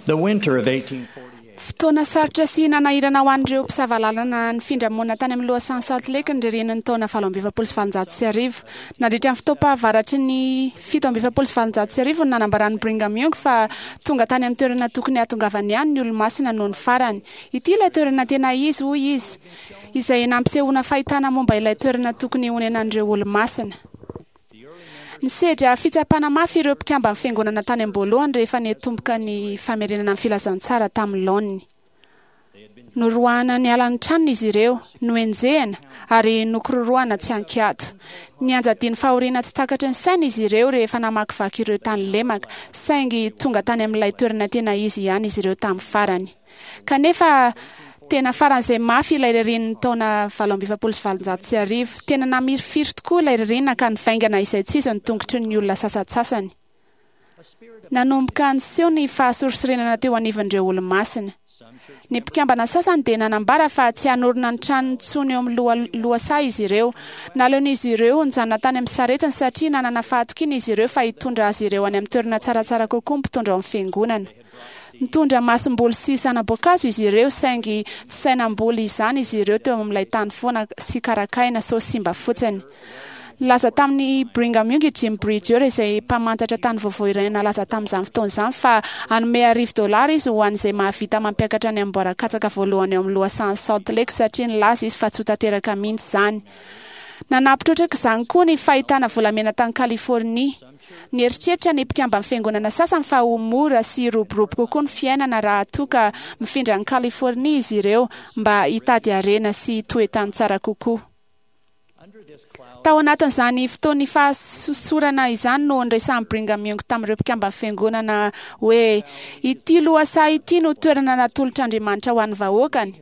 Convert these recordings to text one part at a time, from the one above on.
The winter of 1848. Fotoana sarotra sy nanahirana ho an'ireo mpisava lalana nifindra monina tany amin'ny lohasahan'i Salt Lake ny ririnin'ny taona 1848. Nandritra ny fotoam-pahavaratry ny 1847 no nanambaran'i Brigham Young fa tonga tany amin'ny toerana tokony hahatongavany ihany ny Olomasina nony farany. Ity ilay toerana tena izy, hoy izy, izay nampisehoana fahitana momba ilay toerana tokony honenan'ireo Olomasina. Nisedra fitsapana mafy ireo mpikamban'ny Fiangonana tany am-boalohany rehefa niatomboka ny famerenana ny filazantsara tamin'ny laoniny. Noroahana niala ny tranony izy ireo, nohenjehina, ary nokororohana tsy an-kiato. Nianjadian'ny fahoriana tsy takatry ny saina izy ireo rehefa namakivaky ireo tany lemaka, saingy tonga tany amin'ilay toerana tena izy ihany izy ireo tamin'ny farany. Kanefa, tena faran'izay mafy ilay ririnin'ny taona 1848. Tena namirifiry tokoa ilay ririnina ka nivaingana izaitsizy ny tongotry ny olona sasantsasany. Nanomboka niseho ny fahasorisorenana teo anivon'ireo Olomasina. Ny mpikambana sasany dia nanambara fa tsy hanorina ny tranony intsony eo amin'ny loha lohasaha izy ireo. Naleon'izy ireo nijanona tany amin'ny saretiny satria nanana fahatokiana izy ireo fa hitondra azy ireo any amin'ny toerana tsaratsara kokoa ny mpitondra ao amin'ny fiangonana. Nitondra masomboly sy zana-boankazo izy ireo, saingy tsy sahy namboly izany izy ireo teo amin'ilay tany foana sy karakaina sao simba fotsiny. Nilaza tamin'i Brigham Young i Jim Bridger, izay mpamantatra tany vaovao iray nalaza tamin'izany fotoana izany, fa hanome arivo dolara izy ho an'izay mahavita mampiakatra ny amboaran-katsaka voalohany ao amin'ny lohasahan'i Salt Lake satria nilaza izy fa tsy ho tanteraka mihitsy izany. Nanampy trotraka izany koa ny fahitana volamena tany Californie. Nieritreritra ny mpikamban'ny fiangonana sasany fa ho mora sy hiroborobo kokoa ny fiainana raha toa ka mifindra any Californie izy ireo mba hitady harena sy toe-tany tsara kokoa. Tao anatin'izany fotoan'ny fahasosorana izany no niresahan'i Brigham Young tamin'ireo mpikamban'ny fiangonana hoe, Ity lohasaha ity no toerana natolotr'Andriamanitra ho an'ny vahoakany.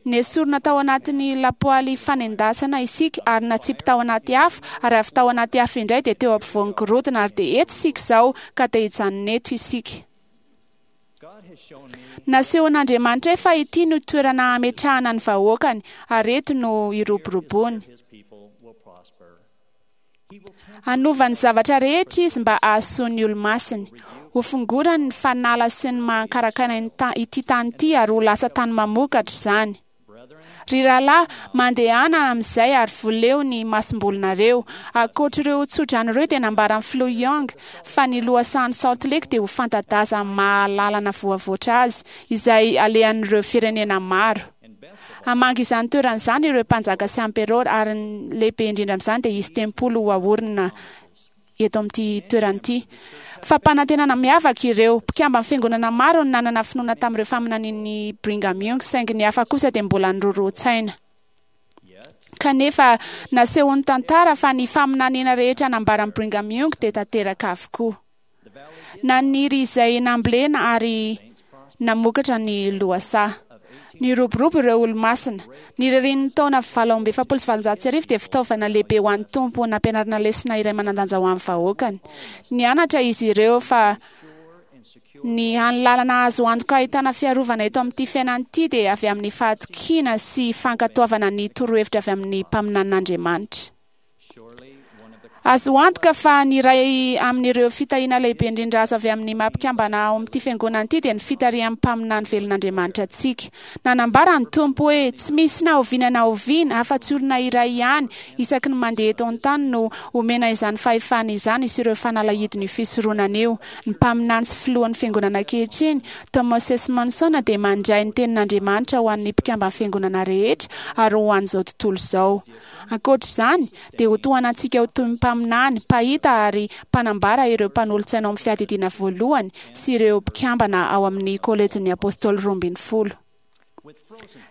Nesorina tao anatin'ny lapoaly fanendasana isika ary natsipy tao anaty afo, ary avy tao anaty afo indray dia teo ampovoan'ny gorodona, ary dia eto isika izao, ka te hijanona eto isika. Nasehon'Andriamanitra ahy fa ity no toerana hametrahana ny vahoakany, ary eto no hiroboroboany. Hanova ny zavatra rehetra Izy mba hahasoa ny Olomasiny. Hofongorany ny fanala sy ny maha-ankarakaina ity tany ity ary ho lasa tany mamokatra izany. Ry rahalahy, mandehana amin'izay ary voleo ny masombolinareo. Ankoatr'ireo tsodrano ireo dia nambaran'ny Filoha Young fa ny lohasahan'i Salt Lake dia ho fanta-daza amin'ny maha-lalana voavoatra azy, izay alehan'ireo firenena maro. Hamangy izany toerana izany ireo mpanjaka sy amperôra, ary ny lehibe indrindra amin'izany dia hisy tempoly ho aorina eto amin'ity toerana ity. Fampanantenana miavaka ireo. Mpikamban'ny fiangonana maro no nanana finoana tamin'ireo faminanian'i Brigham Young, saingy ny hafa kosa dia mbola nirorohan-tsaina. Kanefa, nasehon'ny tantara fa ny faminaniana rehetra nambaran'i Brigham Young dia tanteraka avokoa. Naniry izay nambolena ary namokatra ny lohasaha. Niroborobo ireo Olomasina. Ny ririnin'ny taona 1848 dia fitaovana lehibe ho an'ny Tompo nampianarana lesona iray manan-danja ho an'ny vahoakany. Nianatra izy ireo fa ny hany lalana azo antoka ahitana fiarovana eto amin'ity fiainana ity dia avy amin'ny fahatokiana sy fankatoavana ny torohevitra avy amin'ny mpaminanin'Andriamanitra. Azo antoka fa ny iray amin'ireo fitahiana lehibe indrindra azo avy amin'ny maha mpikambana ao amin'ity fiangonana ity dia ny fitarihan'ny mpaminany velon'Andriamanitra antsika. Nanambara ny Tompo hoe, Tsy misy na oviana na oviana, afa-tsy olona iray ihany isaky ny mandeha eto an-tany no omena izany fahefana izany sy ireo fanalahidin'io fisoronana io. Ny mpaminany sy filohan'ny Fiangonana ankehitriny, Thomas S. Monson, dia mandray ny tenin'Andriamanitra ho an'ny mpikamban'ny Fiangonana rehetra ary ho an'izao tontolo izao. Ankoatra izany, dia ho tohanantsika ho toy ny mpaminany, mpahita ary mpanambara ireo mpanolotsaina ao amin'ny Fiadidiana Voalohany sy ireo mpikambana ao amin'ny Kôlejin'ny Apôstôly Roambinifolo.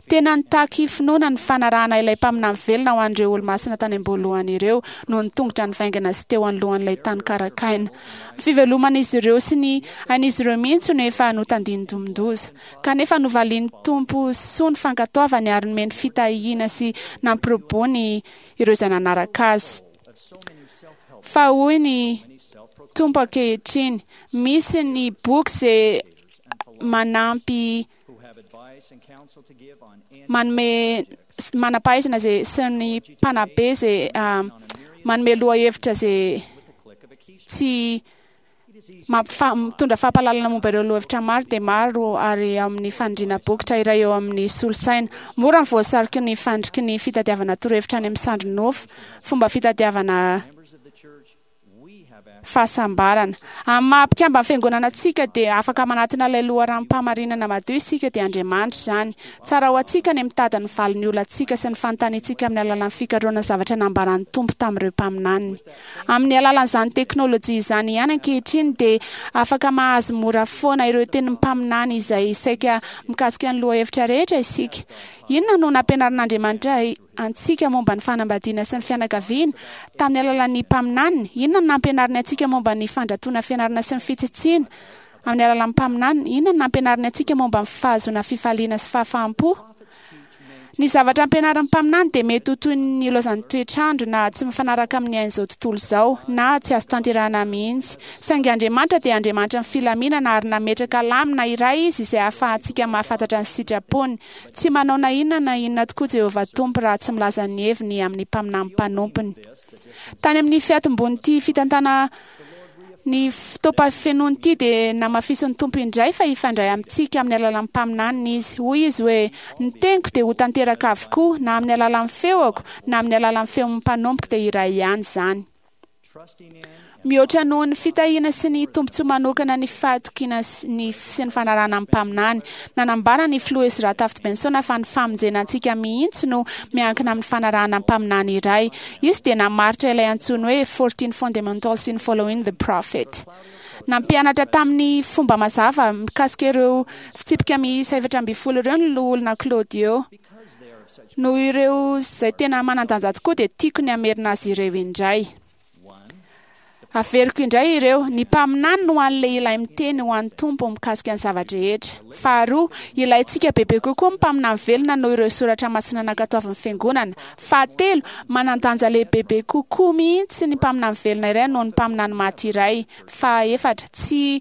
Tena nitaky finoana ny fanarahana ilay mpaminany velona ho an'ireo Olomasina tany am-boalohany ireo noho ny tongotra nivaingana sy teo anoloan'ilay tany karakaina. Ny fiveloman'izy ireo sy ny ain'izy ireo mihitsy no efa notandindomin-doza. Kanefa novalian'ny Tompo soa ny fankatoavany ary nomeny fitahiana sy nampirobony ireo izay nanaraka Azy. Fa hoy ny Tompo ankehitriny, misy ny boky izay manampy manome manam-pahaizana izay sy ny mpanabe izay manome lohahevitra izay tsy. Mitondra fampahalalana momba ireo lohahevitra maro dia maro ary amin'ny fanindriana bokotra iray eo amin'ny solosaina. Mora ny voasariky ny fandriky ny fitadiavana torohevitra any amin'ny sandry nofo, fomba fitadiavana fahasambarana. Amin'ny maha mpikamban'ny Fiangonana antsika dia afaka manatona ilay loharanom-pahamarinana madio isika dia Andriamanitra izany. Tsara ho antsika ny mitady ny valin'ny olantsika sy ny fanontaniantsika amin'ny alalan'ny fikarohana ny zavatra nambaran'ny Tompo tamin'ireo mpaminaniny. Amin'ny alalan'izany teknolojia izany ihany ankehitriny dia afaka mahazo mora foana ireo tenin'ny mpaminany izay saika mikasika ny lohahevitra rehetra isika. Inona no nampianarin'Andriamanitra antsika momba ny fanambadiana sy ny fianakaviana tamin'ny alalan'ny mpaminaniny? Inona no nampianariny antsika momba ny fandratoana fianarana sy ny fitsitsiana amin'ny alalan'ny mpaminaniny? Inona no nampianariny antsika momba ny fahazoana fifaliana sy fahafaham-po? Ny zavatra ampianarin'ny mpaminany dia mety ho toy ny ilaozan'ny toetr'andro na tsy mifanaraka amin'ny ain'izao tontolo izao, na tsy azo tanterahina mihitsy. Saingy Andriamanitra dia Andriamanitry ny filaminana ary nametraka lamina iray Izy izay ahafahantsika mahafantatra ny sitrapony. Tsy manao na inona na inona tokoa Jehovah Tompo raha tsy milaza ny heviny amin'ny mpaminany mpanompony. Tany amin'ny fiatombon'ity fitantana Ny fotoam-pahafenoany ity dia namafisin'ny Tompo indray fa hifandray amintsika amin'ny alalan'ny mpaminaniny Izy. Hoy Izy hoe, Ny teniko dia ho tanteraka avokoa, na amin'ny alalan'ny feoko, na amin'ny alalan'ny feon'ny mpanompoko dia iray ihany izany. Mihoatra noho ny fitahiana sy ny tombontsoa manokana ny fahatokiana ny sy ny fanarahana ny mpaminany. Nanambara ny Filoha Ezra Taft Benson fa ny famonjena antsika mihitsy no miankina amin'ny fanarahana mpaminany iray. Izy dia namaritra ilay antsoiny hoe 14 Fundamentals in Following the Prophet. Nampianatra tamin'ny fomba mazava mikasika ireo fitsipika miisa 14 ireo ny Loholona Claudio. Noho ireo izay tena manan-danja tokoa dia tiako ny hamerina azy ireo indray. Averiko indray ireo, ny mpaminany no hany lehilahy miteny ho an'ny Tompo mikasika ny zava-drehetra. Faharoa, ilaintsika bebe kokoa ny mpaminany velona noho ireo soratra masina nankatoavin'ny Fiangonana. Fahatelo, manan-danja lehibebe kokoa mihitsy ny mpaminany velona iray noho ny mpaminany maty iray. Fahaefatra, tsy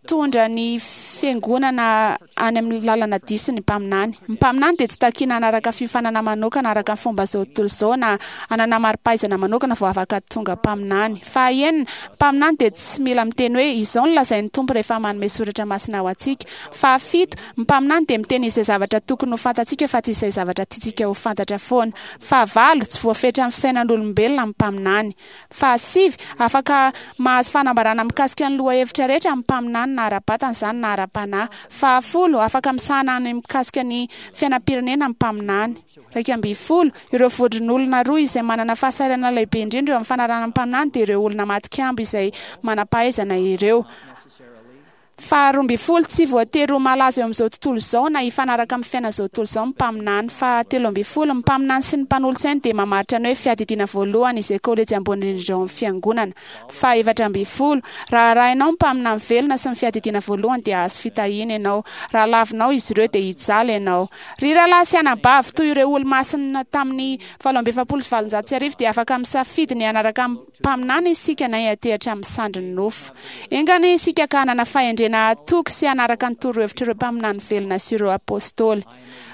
Hitondra ny Fiangonana any amin'ny lalana diso ny mpaminany. Ny mpaminany dia tsy takiana hanaraka fiofanana manokana araka ny fomba izao tontolo izao na hanana mari-pahaizana manokana vao afaka tonga mpaminany. Fahaenina, ny mpaminany dia tsy mila miteny hoe izao no lazain'ny Tompo rehefa manome soratra masina ho antsika. Fahafito, ny mpaminany dia miteny izay zavatra tokony ho fantatsika fa tsy izay zavatra tiantsika ho fantatra foana. Fahavalo, tsy voafetran'ny fisainan'olombelona ny mpaminany. Fahasivy, afaka mahazo fanambarana mikasika ny lohahevitra rehetra amin'ny mpaminany na ara-batana izany na ara-panahy. Fahafolo, afaka misahana ny mikasika ny fiainam-pirenena ny mpaminany. 11, Ireo vondron'olona roa izay manana fahasahiranana lehibe indrindra eo amin'ny fanarahana ny mpaminany dia ireo olona matin-kambo izay manam-pahaizana ireo. Faha 12, tsy voatery ho malaza eo amin'izao tontolo izao na hifanaraka amin'ny fiainan'izao tontolo izao ny mpaminany. Faha 13, ny mpaminany sy ny mpanolotsainy dia mamaritra ny hoe fiadidiana voalohany izay kolejy ambony indrindra ao amin'ny fiangonana. Faha 14, raha arahinao ny mpaminany velona sy ny fiadidiana voalohany dia hahazo fitahiana ianao. Raha lavinao izy ireo dia hijaly ianao. Ry rahalahy sy anabavy, toy ireo olomasina tamin'ny 1848 dia afaka misafidy ny hanaraka ny Mpaminany isika na hiantehatra amin'ny sandrin'ny nofo. Enga anie isika ka hanana fahendrena hatoky sy hanaraka ny torohevitr'ireo mpaminany velona sy ireo apostoly.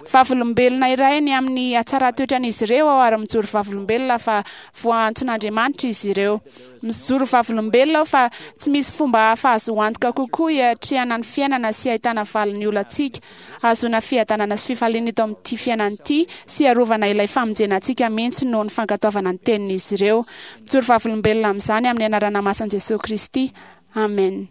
Vavolombelona iray ny amin'ny hatsaran-toetran'izy ireo aho ary mijoro vavolombelona fa voaantson'Andriamanitra izy ireo. Mijoro vavolombelona aho fa tsy misy fomba hafa azo antoka kokoa hiatrehana ny fiainana sy hahitana valin'ny olantsika Hahazoana fiadanana sy fifaliana eto amin'ity fiainana ity sy hiarovana ilay famonjena antsika mihitsy noho ny fankatoavana ny tenin'izy ireo. Mijoro vavolombelona amin'izany amin'ny anarana masin'i Jesoa Kristy. Amen.